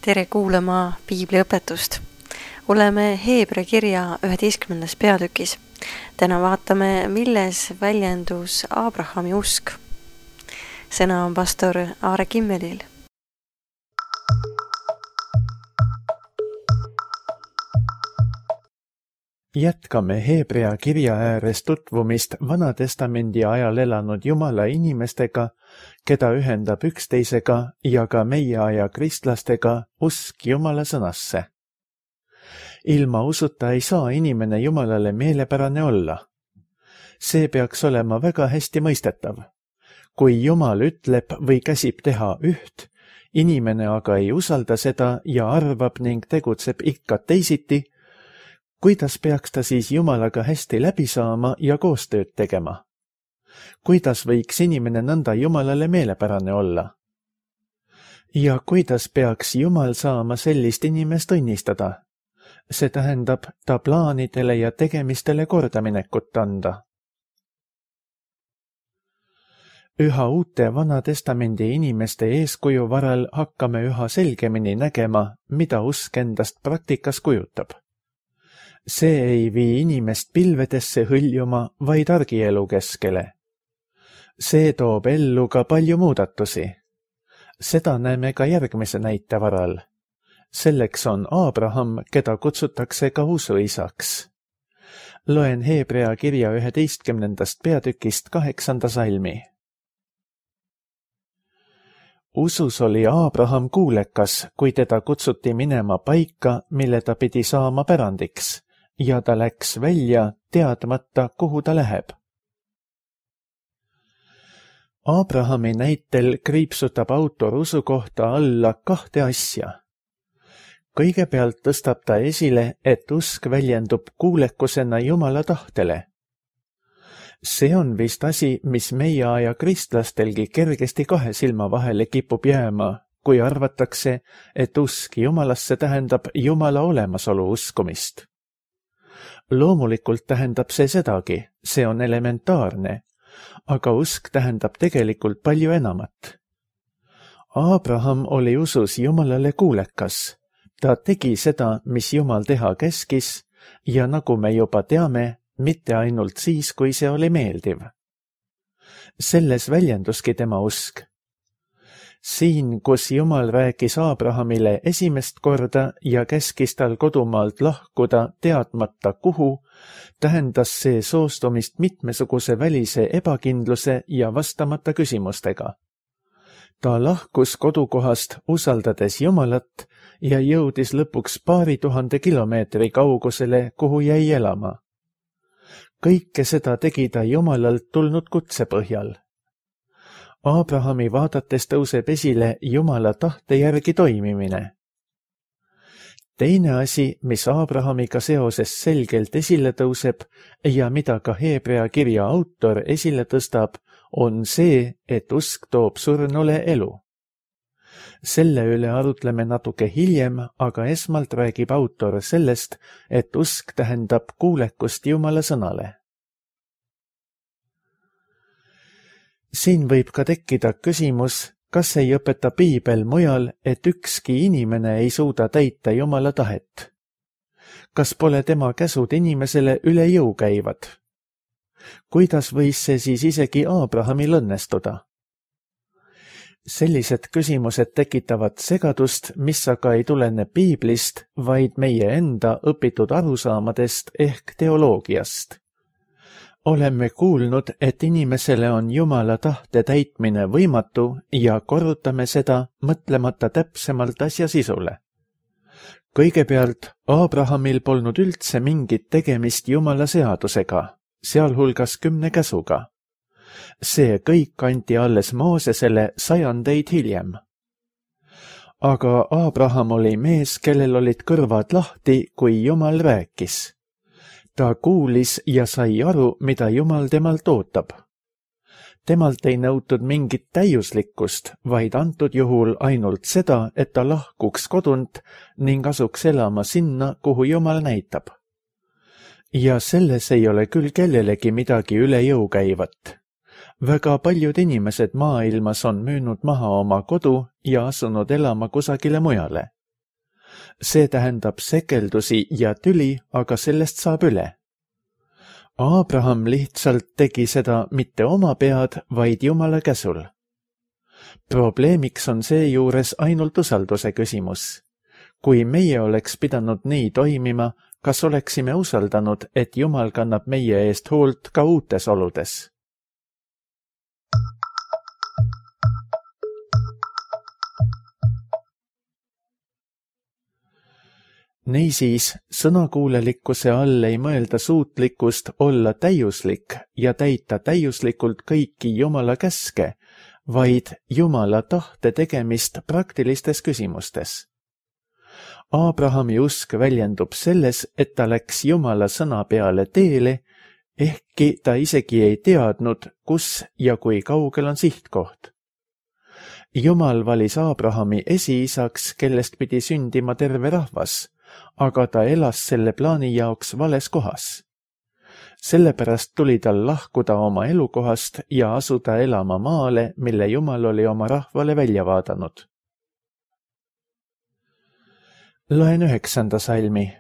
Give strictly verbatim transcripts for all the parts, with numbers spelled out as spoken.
Tere kuulama piibliõpetust. Oleme Heebra kirja üheteistkümnendas peatükis. Täna vaatame, milles väljendus Aabrahami usk. Sõna on pastor Aare Kimmelil. Jätkame Heebrea kirja ääres tutvumist Vanatestamendi ajal elanud Jumala inimestega, keda ühendab üksteisega ja ka meie aja kristlastega usk Jumala sõnasse. Ilma usuta ei saa inimene Jumalale meelepärane olla. See peaks olema väga hästi mõistetav. Kui Jumal ütleb või käsib teha üht, inimene aga ei usalda seda ja arvab ning tegutseb ikka teisiti, kuidas peaks ta siis Jumalaga hästi läbi saama ja koostööd tegema? Kuidas võiks inimene nõnda Jumalale meelepärane olla? Ja kuidas peaks Jumal saama sellist inimest õnnistada? See tähendab ta plaanidele ja tegemistele kordaminekut anda. Üha uute Vanatestamendi inimeste eeskuju varal hakkame üha selgemini nägema, mida usk endast praktikas kujutab. See ei vii inimest pilvedesse hõljuma, vaid argielu keskele. See toob ellu ka palju muudatusi. Seda näeme ka järgmise näite varal. Selleks on Aabraham, keda kutsutakse ka usuisaks. Loen Heebrea kirja üheteistkümnendast peatükist kaheksanda salmi. Usus oli Aabraham kuulekas, kui teda kutsuti minema paika, mille ta pidi saama pärandiks, ja ta läks välja, teadmata, kuhu ta läheb. Aabrahami näitel kriipsutab autor usu kohta alla kahte asja. Kõigepealt tõstab ta esile, et usk väljendub kuulekusena Jumala tahtele. See on vist asi, mis meie aja kristlastelgi kergesti kahe silma vahele kipub jääma, kui arvatakse, et usk Jumalasse tähendab Jumala olemasolu uskumist. Loomulikult tähendab see sedagi, see on elementaarne, aga usk tähendab tegelikult palju enamat. Aabraham oli usus Jumalale kuulekas. Ta tegi seda, mis Jumal teha käskis, ja nagu me juba teame, mitte ainult siis, kui see oli meeldiv. Selles väljenduski tema usk. Siin, kus Jumal rääkis Aabrahamile esimest korda ja käskis tal kodumaalt lahkuda teadmata kuhu, tähendas see soostumist mitmesuguse välise ebakindluse ja vastamata küsimustega. Ta lahkus kodukohast usaldades Jumalat ja jõudis lõpuks paari tuhande kilomeetri kaugusele, kuhu jäi elama. Kõike seda tegi ta Jumalalt tulnud kutse põhjal. Aabrahami vaadates tõuseb esile Jumala tahte järgi toimimine. Teine asi, mis Aabrahamiga seoses selgelt esile tõuseb ja mida ka Heebrea kirja autor esile tõstab, on see, et usk toob surnule elu. Selle üle arutleme natuke hiljem, aga esmalt räägib autor sellest, et usk tähendab kuulekust Jumala sõnale. Siin võib ka tekkida küsimus, kas ei õpeta piibel mujal, et ükski inimene ei suuda täita Jumala tahet. Kas pole tema käsud inimesele üle jõu käivad? Kuidas võis see siis isegi Aabrahamil õnnestuda? Sellised küsimused tekitavad segadust, mis aga ei tulene piiblist, vaid meie enda õpitud arusaamadest ehk teoloogiast. Oleme kuulnud, et inimesele on Jumala tahte täitmine võimatu ja korrutame seda, mõtlemata täpsemalt asja sisule. Kõigepealt, Aabrahamil polnud üldse mingit tegemist Jumala seadusega, sealhulgas kümne käsuga. See kõik anti alles Moosesele sajandeid hiljem. Aga Aabraham oli mees, kellel olid kõrvad lahti, kui Jumal rääkis. Ta kuulis ja sai aru, mida Jumal temalt ootab. Temalt ei nõutud mingit täiuslikkust, vaid antud juhul ainult seda, et ta lahkuks kodunt ning asuks elama sinna, kuhu Jumal näitab. Ja selles ei ole küll kellelegi midagi üle jõu käivat. Väga paljud inimesed maailmas on müünud maha oma kodu ja asunud elama kusagile mujale. See tähendab sekeldusi ja tüli, aga sellest saab üle. Aabraham lihtsalt tegi seda mitte oma pead, vaid Jumala käsul. Probleemiks on seejuures ainult usalduse küsimus. Kui meie oleks pidanud nii toimima, kas oleksime usaldanud, et Jumal kannab meie eest hoolt ka uutes oludes? Niisiis, sõnakuulelikkuse all ei mõelda suutlikkust olla täiuslik ja täita täiuslikult kõiki Jumala käske, vaid Jumala tahte tegemist praktilistes küsimustes. Aabrahami usk väljendub selles, et ta läks Jumala sõna peale teele, ehkki ta isegi ei teadnud, kus ja kui kaugel on sihtkoht. Jumal valis Aabrahami esiisaks, kellest pidi sündima terve rahvas, aga ta elas selle plaani jaoks vales kohas. Sellepärast tuli tal lahkuda oma elukohast ja asuda elama maale, mille Jumal oli oma rahvale välja vaadanud. Loen üheksanda salmi.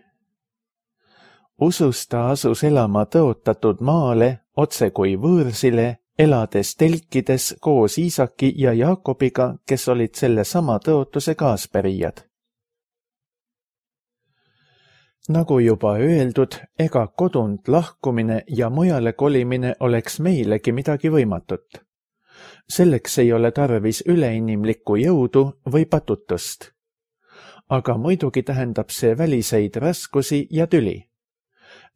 Usus ta asus elama tõotatud maale, otse kui võõrsile, elades telkides koos Iisaki ja Jaakobiga, kes olid selle sama tõotuse kaaspärijad. Nagu juba öeldud, ega kodunt lahkumine ja mujale kolimine oleks meilegi midagi võimatut. Selleks ei ole tarvis üleinimlikku jõudu või patutust. Aga muidugi tähendab see väliseid raskusi ja tüli.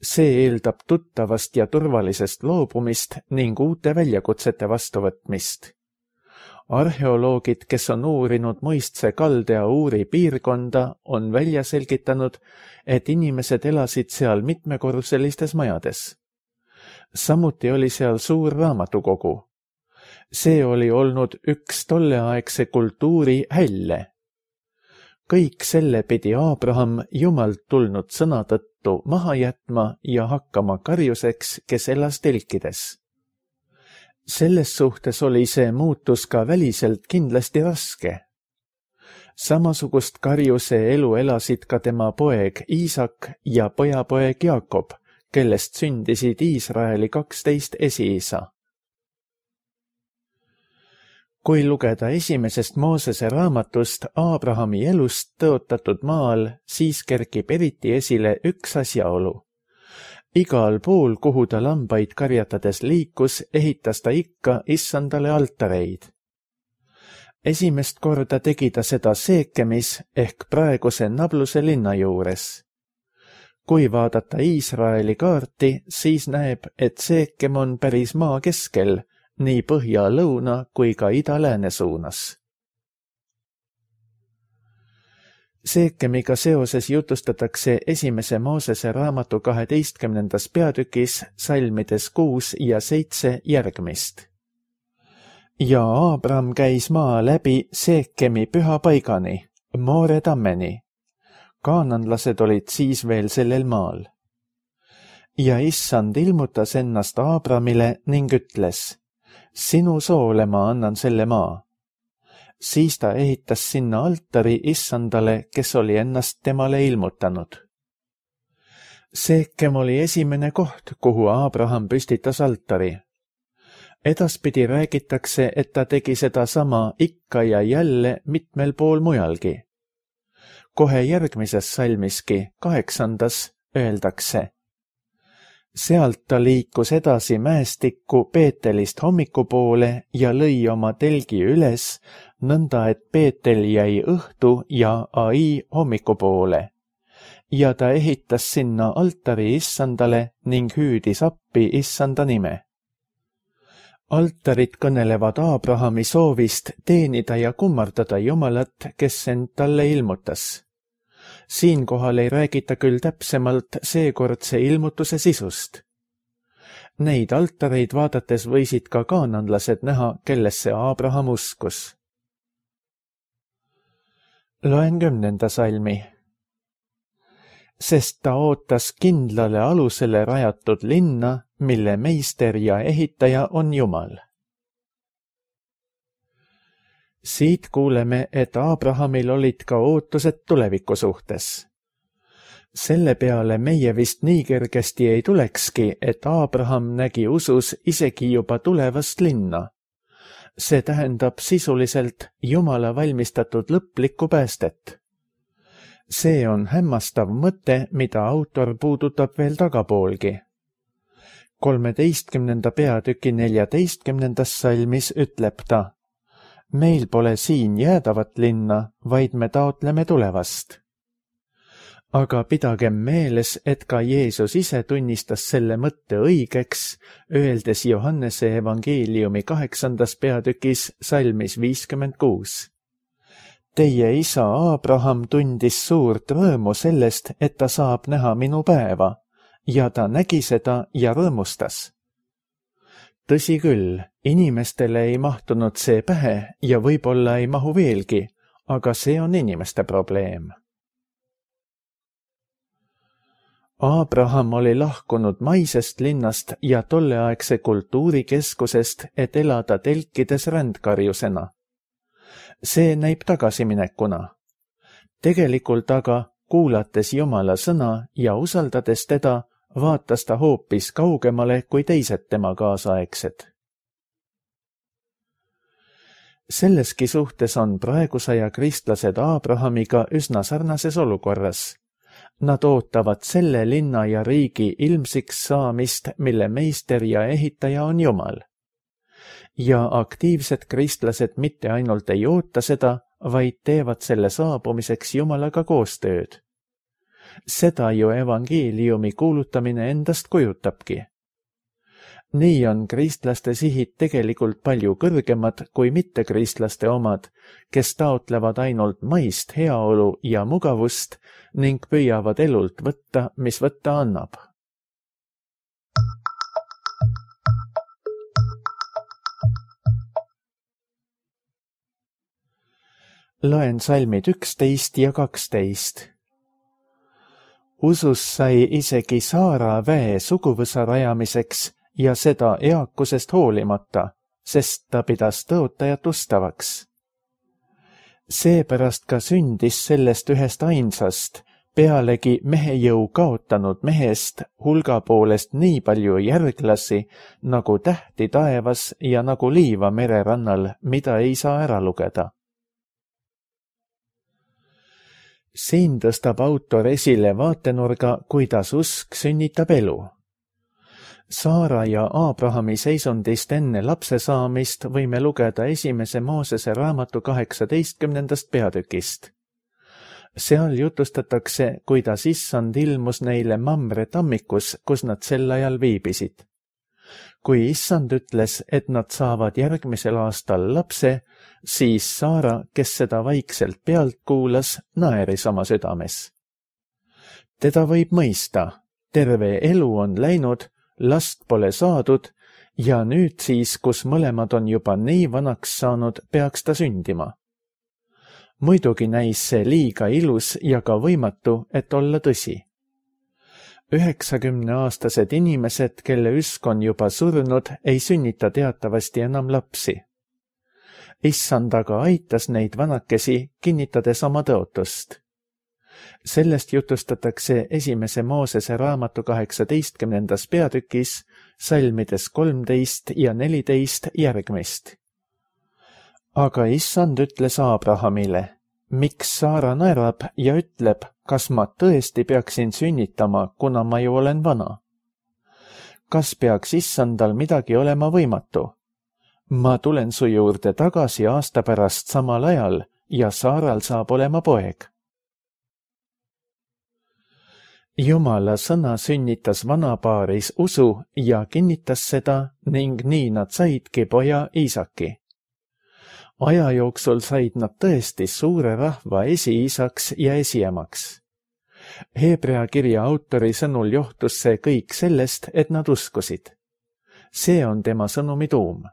See eeldab tuttavast ja turvalisest loobumist ning uute väljakutsete vastuvõtmist. Arheoloogid, kes on uurinud Mõistse kaldea Uuri piirkonda, on välja selgitanud, et inimesed elasid seal mitmekorruselistes majades. Samuti oli seal suur raamatukogu. See oli olnud üks tolleaegse kultuuri hälle. Kõik selle pidi Aabraham Jumalt tulnud sõna tõttu maha jätma ja hakkama karjuseks, kes elas telkides. Selles suhtes oli see muutus ka väliselt kindlasti raske. Samasugust karjuse elu elasid ka tema poeg Iisak ja pojapoeg Jaakob, kellest sündisid Iisraeli kaksteist esiisa. Kui lugeda esimesest Moosese raamatust Aabrahami elust tõotatud maal, siis kerkib eriti esile üks asjaolu. Igal pool, kuhu ta lambaid karjatades liikus, ehitas ta ikka issandale altareid. Esimest korda tegi ta seda Seekemis ehk praeguse Nabluse linna juures. Kui vaadata Iisraeli kaarti, siis näeb, et Seekem on päris maa keskel, nii põhja-lõuna kui ka ida-lääne suunas. Seekemiga seoses jutustatakse esimese Moosese raamatu kaheteistkümnendas peatükis salmides kuus ja seitse järgmist. Ja Aabram käis maa läbi Seekemi püha paigani, Moore tammeni. Kaananlased olid siis veel sellel maal. Ja issand ilmutas ennast Aabramile ning ütles, sinu soole ma annan selle maa. Siis ta ehitas sinna altari issandale, kes oli ennast temale ilmutanud. Seekem oli esimene koht, kuhu Aabraham püstitas altari. Edaspidi räägitakse, et ta tegi seda sama ikka ja jälle mitmel pool mujalgi. Kohe järgmises salmiski, kaheksandas, öeldakse. Sealt ta liikus edasi mäestikku Peetelist hommikupoole ja lõi oma telgi üles, nõnda et Peetel jäi õhtu ja Ai hommikupoole. Ja ta ehitas sinna altari issandale ning hüüdis appi issanda nime. Altarid kõnelevad Aabrahami soovist teenida ja kummardada Jumalat, kes end talle ilmutas. Siinkohal ei räägita küll täpsemalt seekordse ilmutuse sisust. Neid altareid vaadates võisid ka kaananlased näha, kellesse Aabraham uskus. Loen kümnenda salmi. Sest ta ootas kindlale alusele rajatud linna, mille meister ja ehitaja on Jumal. Siit kuuleme, et Abrahamil olid ka ootused tuleviku suhtes. Selle peale meie vist nii kergesti ei tulekski, et Abraham nägi usus isegi juba tulevast linna. See tähendab sisuliselt Jumala valmistatud lõplikku päästet. See on hämmastav mõte, mida autor puudutab veel tagapoolgi. kolmeteistkümnenda peatüki neljateistkümnendas salmis ütleb ta: meil pole siin jäädavat linna, vaid me taotleme tulevast. Aga pidagem meeles, et ka Jeesus ise tunnistas selle mõtte õigeks, öeldes Johannese evangeeliumi kaheksandas peatükis salmis viiskümmend kuus. Teie isa Abraham tundis suurt rõõmu sellest, et ta saab näha minu päeva, ja ta nägi seda ja rõõmustas. Tõsi küll, inimestele ei mahtunud see pähe ja võib-olla ei mahu veelgi, aga see on inimeste probleem. Abraham oli lahkunud maisest linnast ja tolleaegse kultuurikeskusest, et elada telkides rändkarjusena. See näib tagasiminekuna. Tegelikult aga, kuulates Jumala sõna ja usaldades teda, vaatas ta hoopis kaugemale kui teised tema kaasaegsed. Selleski suhtes on praegusaja kristlased Abrahamiga üsna sarnases olukorras. Nad ootavad selle linna ja riigi ilmsiks saamist, mille meister ja ehitaja on Jumal. Ja aktiivsed kristlased mitte ainult ei oota seda, vaid teevad selle saabumiseks Jumalaga koostööd. Seda ju evangeeliumi kuulutamine endast kujutabki. Nii on kristlaste sihid tegelikult palju kõrgemad kui mittekristlaste omad, kes taotlevad ainult maist heaolu ja mugavust ning püüavad elult võtta, mis võtta annab. Loen salmid üksteist ja kaksteist. Usus sai isegi Saara väe suguvõsa rajamiseks ja seda eakusest hoolimata, sest ta pidas tõotajat ustavaks. Seepärast ka sündis sellest ühest ainsast, pealegi mehe jõu kaotanud mehest hulga poolest nii palju järglasi, nagu tähti taevas ja nagu liiva mererannal, mida ei saa ära lugeda. Siin tõstab autor esile vaatenurga, kuidas usk sünnitab elu. Saara ja Abrahami seisundist enne lapse saamist võime lugeda esimese Moosese raamatu kaheksateistkümnendast peatükist. Seal jutustatakse, kuidas issand ilmus neile Mamre tammikus, kus nad sel ajal viibisid. Kui issand ütles, et nad saavad järgmisel aastal lapse, siis Saara, kes seda vaikselt pealt kuulas, naeris oma südames. Teda võib mõista, terve elu on läinud, last pole saadud ja nüüd siis, kus mõlemad on juba nii vanaks saanud, peaks ta sündima. Muidugi näis see liiga ilus ja ka võimatu, et olla tõsi. üheksakümneaastased inimesed, kelle üsk on juba surnud, ei sünnita teatavasti enam lapsi. Issand aga aitas neid vanakesi, kinnitades oma tõotust. Sellest jutustatakse esimese Moosese raamatu kaheksateistkümnendas peatükis, salmides kolmteist ja neliteist järgmist. Aga issand ütles Abrahamile, miks Saara naerab ja ütleb, kas ma tõesti peaksin sünnitama, kuna ma ju olen vana? Kas peaks issandal midagi olema võimatu? Ma tulen su juurde tagasi aasta pärast samal ajal ja Saaral saab olema poeg. Jumala sõna sünnitas vanapaaris usu ja kinnitas seda ning nii nad saidki poja Iisaki. Aja jooksul said nad tõesti suure rahva esiisaks ja esiemaks. Hebrea kirja autori sõnul johtus see kõik sellest, et nad uskusid. See on tema sõnumi tuum.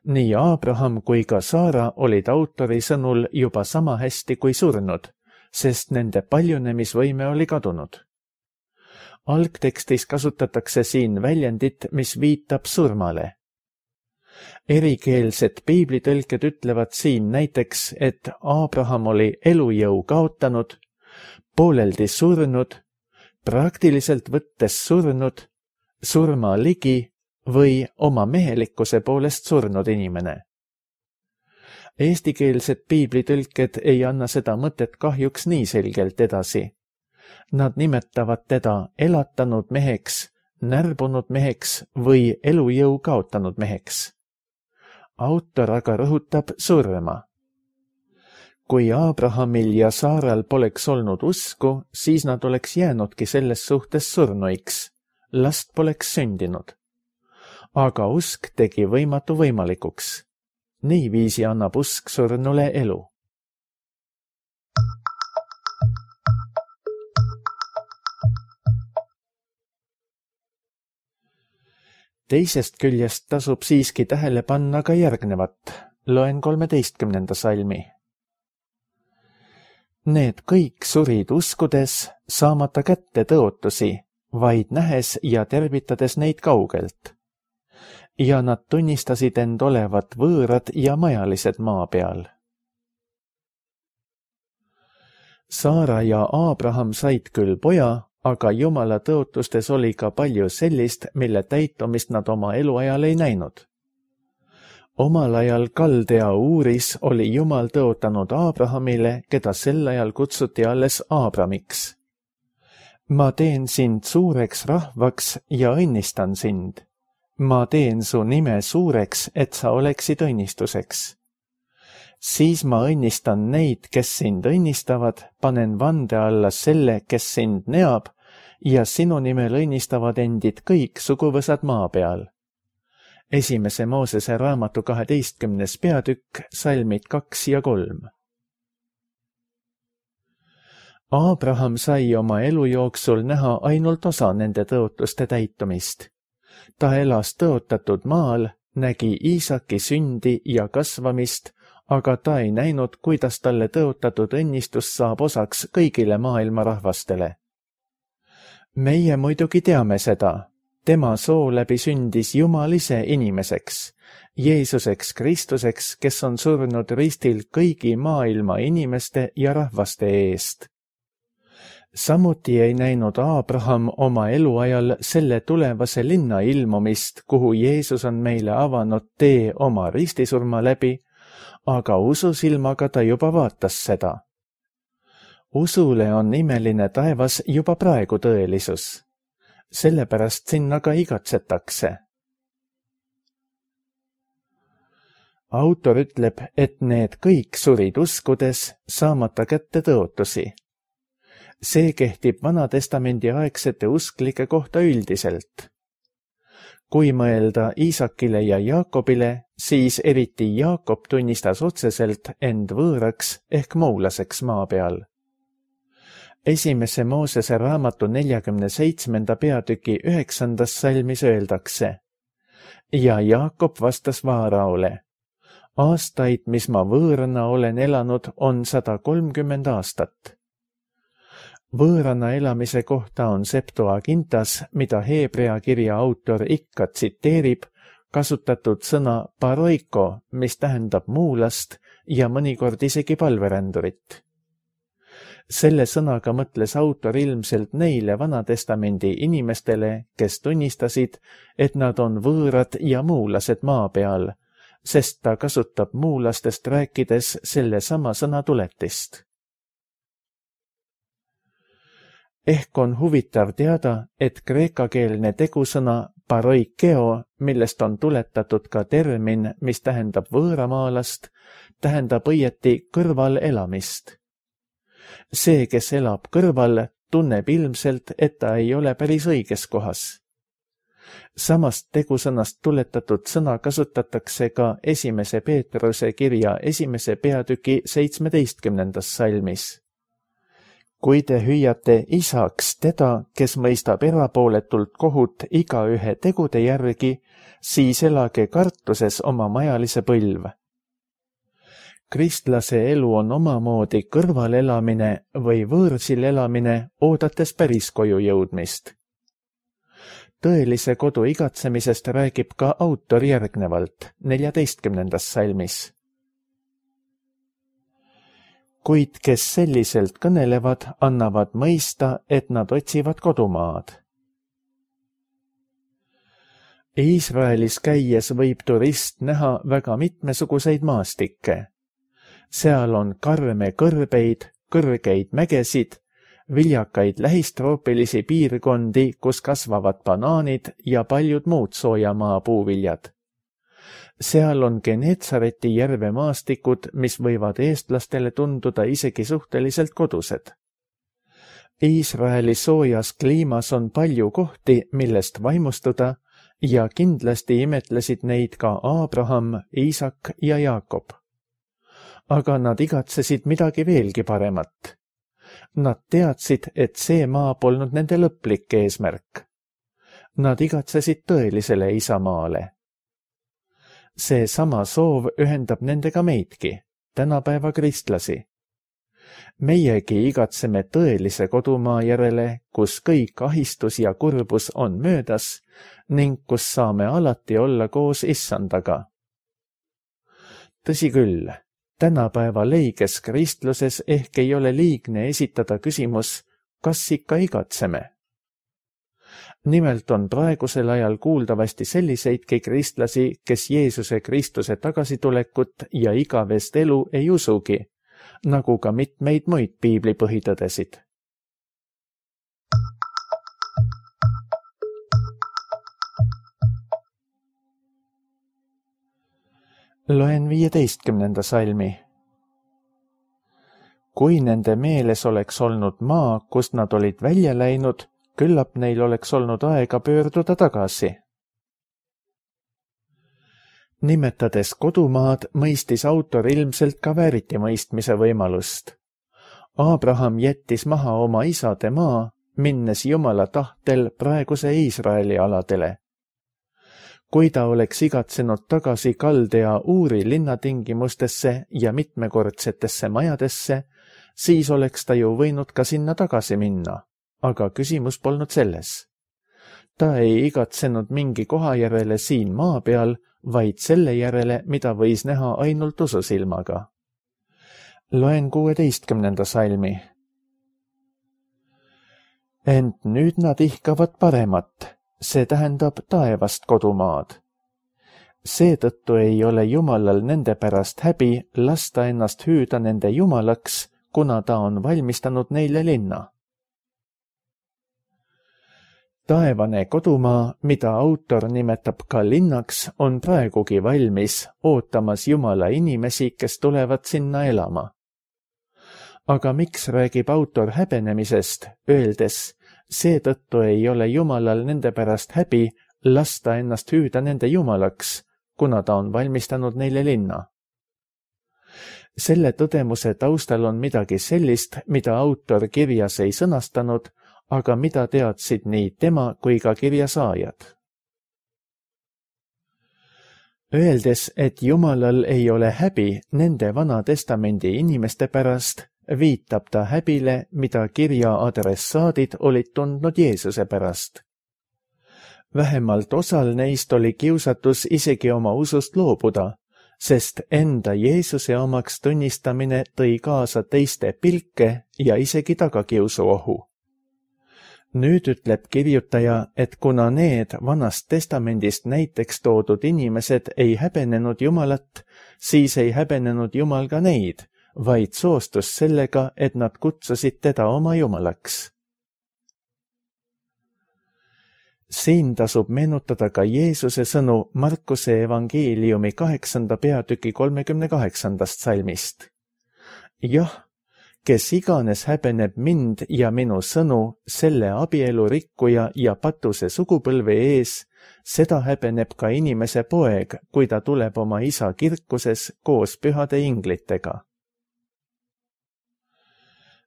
Nii Abraham kui ka Saara olid autori sõnul juba sama hästi kui surnud, sest nende paljunemisvõime oli kadunud. Algtekstis kasutatakse siin väljendit, mis viitab surmale. Erikeelsed piiblitõlked ütlevad siin näiteks, et Aabraham oli elujõu kaotanud, pooleldi surnud, praktiliselt võttes surnud, surma ligi või oma mehelikkuse poolest surnud inimene. Eestikeelsed piiblitõlked ei anna seda mõtet kahjuks nii selgelt edasi. Nad nimetavad teda elatanud meheks, närbunud meheks või elujõu kaotanud meheks. Autor aga rõhutab surma. Kui Aabrahamil ja Saaral poleks olnud usku, siis nad oleks jäänudki selles suhtes surnuiks. Last poleks sündinud. Aga usk tegi võimatu võimalikuks. Niiviisi annab usk surnule elu. Teisest küljest tasub siiski tähele panna ka järgnevat. Loen kolmeteistkümnenda salmi. Need kõik surid uskudes, saamata kätte tõotusi, vaid nähes ja tervitades neid kaugelt. Ja nad tunnistasid end olevat võõrad ja majalised maa peal. Saara ja Aabraham said küll poja, aga Jumala tõotustes oli ka palju sellist, mille täitumist nad oma eluajal ei näinud. Omal ajal Kaldea Uuris oli Jumal tõotanud Aabrahamile, keda sel ajal kutsuti alles Aabramiks. Ma teen sind suureks rahvaks ja õnnistan sind. Ma teen su nime suureks, et sa oleksid õnnistuseks. Siis ma õnnistan neid, kes sind õnnistavad, panen vande alla selle, kes sind neab, ja sinu nimel õnnistavad endid kõik suguvõsad maa peal. Esimese Moosese raamatu kaheteistkümnes peatükk, salmid kaks ja kolm. Aabraham sai oma elu jooksul näha ainult osa nende tõotuste täitumist. Ta elas tõotatud maal, nägi Iisaki sündi ja kasvamist, aga ta ei näinud, kuidas talle tõotatud õnnistus saab osaks kõigile maailma rahvastele. Meie muidugi teame seda. Tema soo läbi sündis Jumal ise inimeseks, Jeesuseks Kristuseks, kes on surnud ristil kõigi maailma inimeste ja rahvaste eest. Samuti ei näinud Aabraham oma eluajal selle tulevase linna ilmumist, kuhu Jeesus on meile avanud tee oma ristisurma läbi, aga ususilmaga ta juba vaatas seda. Usule on imeline taevas juba praegu tõelisus. Sellepärast sinna ka igatsetakse. Autor ütleb, et need kõik surid uskudes, saamata kätte tõotusi. See kehtib Vanatestamendi aegsete usklike kohta üldiselt. Kui mõelda Iisakile ja Jaakobile, siis eriti Jaakob tunnistas otseselt end võõraks ehk muulaseks maa peal. Esimese Moosese raamatu neljakümne seitsmenda peatüki üheksandas salmis öeldakse. Ja Jaakob vastas Vaaraole. Aastaid, mis ma võõrana olen elanud, on sada kolmkümmend aastat. Võõrana elamise kohta on Septuagintas, mida Heebrea kirja autor ikka tsiteerib, kasutatud sõna paroiko, mis tähendab muulast ja mõnikord isegi palverändurit. Selle sõnaga mõtles autor ilmselt neile Vanatestamendi inimestele, kes tunnistasid, et nad on võõrad ja muulased maa peal, sest ta kasutab muulastest rääkides selle sama sõna tuletist. Ehk on huvitav teada, et kreekakeelne tegusõna paroikeo, millest on tuletatud ka termin, mis tähendab võõramaalast, tähendab õieti kõrval elamist. See, kes elab kõrval, tunneb ilmselt, et ta ei ole päris õiges kohas. Samast tegusõnast tuletatud sõna kasutatakse ka esimese Peetruse kirja esimese peatüki seitsmeteistkümnendas salmis. Kui te hüüate isaks teda, kes mõistab erapooletult kohut igaühe tegude järgi, siis elage kartuses oma majalise põlv. Kristlase elu on omamoodi kõrvalelamine või võõrsil elamine, oodates päris koju jõudmist. tõelise kodu igatsemisest räägib ka autor järgnevalt neljateistkümnendas salmis. Kuid kes selliselt kõnelevad, annavad mõista, et nad otsivad kodumaad. Iisraelis käies võib turist näha väga mitmesuguseid maastikke. Seal on karme kõrbeid, kõrgeid mägesid, viljakaid lähistroopilisi piirkondi, kus kasvavad banaanid ja paljud muud soojamaa puuviljad. Seal on Geneetsareti järve maastikud, mis võivad eestlastele tunduda isegi suhteliselt kodused. Iisraeli soojas kliimas on palju kohti, millest vaimustuda, ja kindlasti imetlesid neid ka Aabraham, Iisak ja Jaakob. Aga nad igatsesid midagi veelgi paremat. Nad teadsid, et see maa polnud nende lõplik eesmärk. Nad igatsesid tõelisele isamaale. See sama soov ühendab nendega meidki, tänapäeva kristlasi. Meiegi igatseme tõelise kodumaa järele, kus kõik ahistus ja kurbus on möödas ning kus saame alati olla koos issandaga. Tõsi küll, tänapäeva leiges kristluses ehk ei ole liigne esitada küsimus, kas ikka igatseme. Nimelt on praegusel ajal kuuldavasti selliseidki kristlasi, kes Jeesuse Kristuse tagasitulekut ja igavest elu ei usugi, nagu ka mitmeid muid piibli põhitõdesid. Loen viieteistkümnenda salmi. Kui nende meeles oleks olnud maa, kust nad olid välja läinud, küllap neil oleks olnud aega pöörduda tagasi. Nimetades kodumaad, mõistis autor ilmselt ka vääritimõistmise võimalust. Aabraham jättis maha oma isade maa, minnes Jumala tahtel praeguse Iisraeli aladele. Kui ta oleks igatsenud tagasi Kaldea Uuri linnatingimustesse ja mitmekordsetesse majadesse, siis oleks ta ju võinud ka sinna tagasi minna, aga küsimus polnud selles. Ta ei igatsenud mingi koha järele siin maa peal, vaid selle järele, mida võis näha ainult ususilmaga. Loen kuueteistkümnenda salmi. Ent nüüd nad ihkavad paremat, see tähendab taevast kodumaad. Seetõttu ei ole Jumalal nende pärast häbi lasta ennast hüüda nende Jumalaks, kuna ta on valmistanud neile linna. Taevane kodumaa, mida autor nimetab ka linnaks, on praegugi valmis, ootamas Jumala inimesi, kes tulevad sinna elama. Aga miks räägib autor häbenemisest, öeldes, seetõttu ei ole Jumalal nende pärast häbi lasta ennast hüüda nende Jumalaks, kuna ta on valmistanud neile linna? Selle tõdemuse taustal on midagi sellist, mida autor kirjas ei sõnastanud, aga mida teadsid nii tema kui ka kirjasaajad. Öeldes, et Jumalal ei ole häbi nende Vana Testamendi inimeste pärast, viitab ta häbile, mida kirja adressaadid olid tundnud Jeesuse pärast. Vähemalt osal neist oli kiusatus isegi oma usust loobuda, sest enda Jeesuse omaks tunnistamine tõi kaasa teiste pilke ja isegi tagakiusu ohu. Nüüd ütleb kirjutaja, et kuna need Vanast Testamendist näiteks toodud inimesed ei häbenenud Jumalat, siis ei häbenenud Jumal ka neid, vaid soostus sellega, et nad kutsusid teda oma Jumalaks. Siin tasub meenutada ka Jeesuse sõnu Markuse evangeeliumi kaheksanda peatüki kolmekümne kaheksandast salmist. Jah, kes iganes häbeneb mind ja minu sõnu selle abielu rikkuja ja patuse sugupõlve ees, seda häbeneb ka inimese poeg, kui ta tuleb oma isa kirkuses koos pühade inglitega.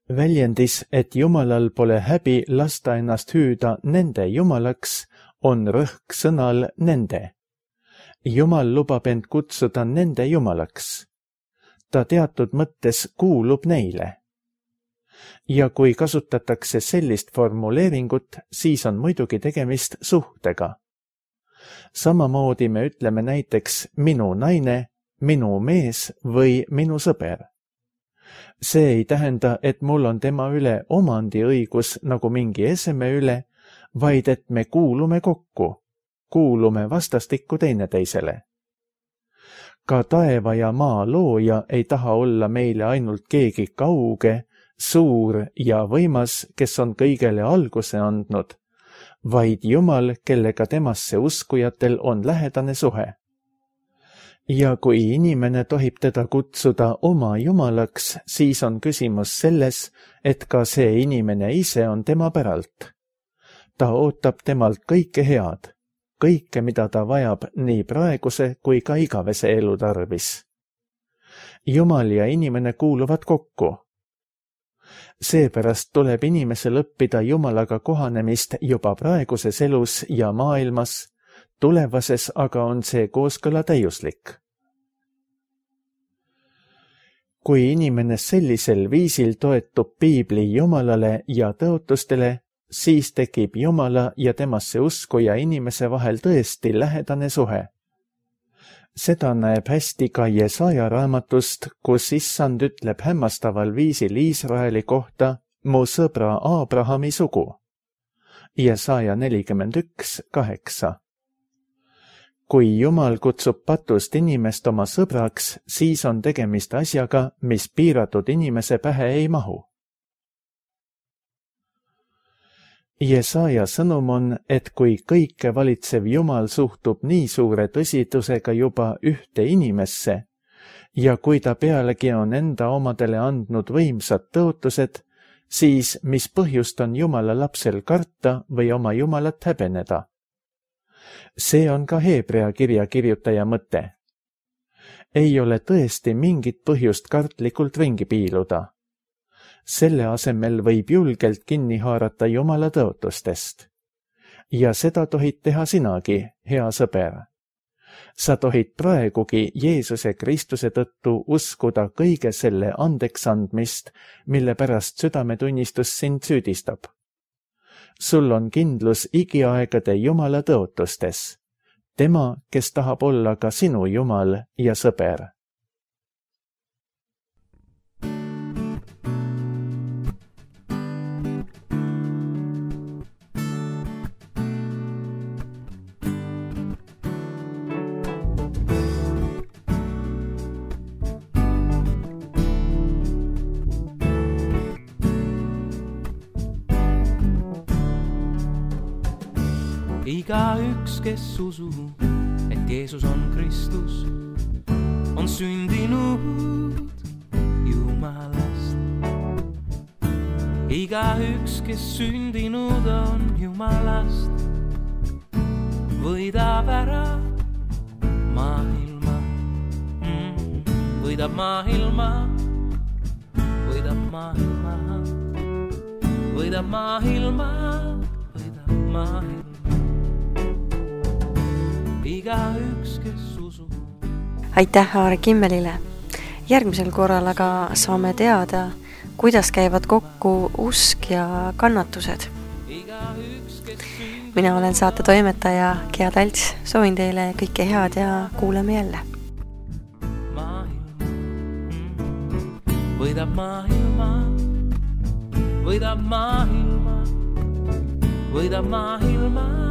Väljendis, et Jumalal pole häbi lasta ennast hüüda nende Jumalaks, on rõhk sõnal nende. Jumal lubab end kutsuda nende Jumalaks. Ta teatud mõttes kuulub neile. Ja kui kasutatakse sellist formuleeringut, siis on muidugi tegemist suhtega. Samamoodi me ütleme näiteks minu naine, minu mees või minu sõber. See ei tähenda, et mul on tema üle omandiõigus nagu mingi eseme üle, vaid et me kuulume kokku, kuulume vastastikku teineteisele. Ka taeva ja maa looja ei taha olla meile ainult keegi kauge, suur ja võimas, kes on kõigele alguse andnud, vaid Jumal, kellega temasse uskujatel on lähedane suhe. Ja kui inimene tohib teda kutsuda oma jumalaks, siis on küsimus selles, et ka see inimene ise on tema päralt. Ta ootab temalt kõike head, kõike, mida ta vajab nii praeguse kui ka igavese elu tarvis. Jumal ja inimene kuuluvad kokku. Seepärast tuleb inimesel õppida Jumalaga kohanemist juba praeguses elus ja maailmas, tulevases aga on see kooskõla täiuslik. Kui inimene sellisel viisil toetub Piibli Jumalale ja tõotustele, siis tekib Jumala ja temasse uskuja inimese vahel tõesti lähedane suhe. Seda näeb hästi ka Jesaja raamatust, kus Issand ütleb hämmastaval viisil Iisraeli kohta mu sõbra Aabrahami sugu. Jesaja nelikümmend üks kaheksa. Kui Jumal kutsub patust inimest oma sõbraks, siis on tegemist asjaga, mis piiratud inimese pähe ei mahu. Jesaja sõnum on, et kui kõike valitsev Jumal suhtub nii suure tõsidusega juba ühte inimesse ja kui ta pealegi on enda omadele andnud võimsad tõotused, siis mis põhjust on Jumala lapsel karta või oma Jumalat häbeneda? See on ka Heebrea kirja kirjutaja mõte. Ei ole tõesti mingit põhjust kartlikult ringi piiluda. Selle asemel võib julgelt kinni haarata Jumala tõotustest. Ja seda tohid teha sinagi, hea sõber. Sa tohid praegugi Jeesuse Kristuse tõttu uskuda kõige selle andeks andmist, mille pärast südametunnistus sind süüdistab. Sul on kindlus igiaegade Jumala tõotustes. Tema, kes tahab olla ka sinu Jumal ja sõber. Igaüks, kes usub, et Jeesus on Kristus, on sündinud Jumalast. Igaüks, kes sündinud on Jumalast, võidab ära maailma, mm, võidab maailma, võidab maailma, võidab maailma, võidab maailma. Igaüks, kes usub. Aitäh Aare Kimmelile. Järgmisel korral aga saame teada, kuidas käivad kokku usk ja kannatused. Mina olen saate toimetaja Gea Talts. Soovin teile kõike head ja kuuleme jälle. Võidab maailma, võidab maailma, võidab maailma.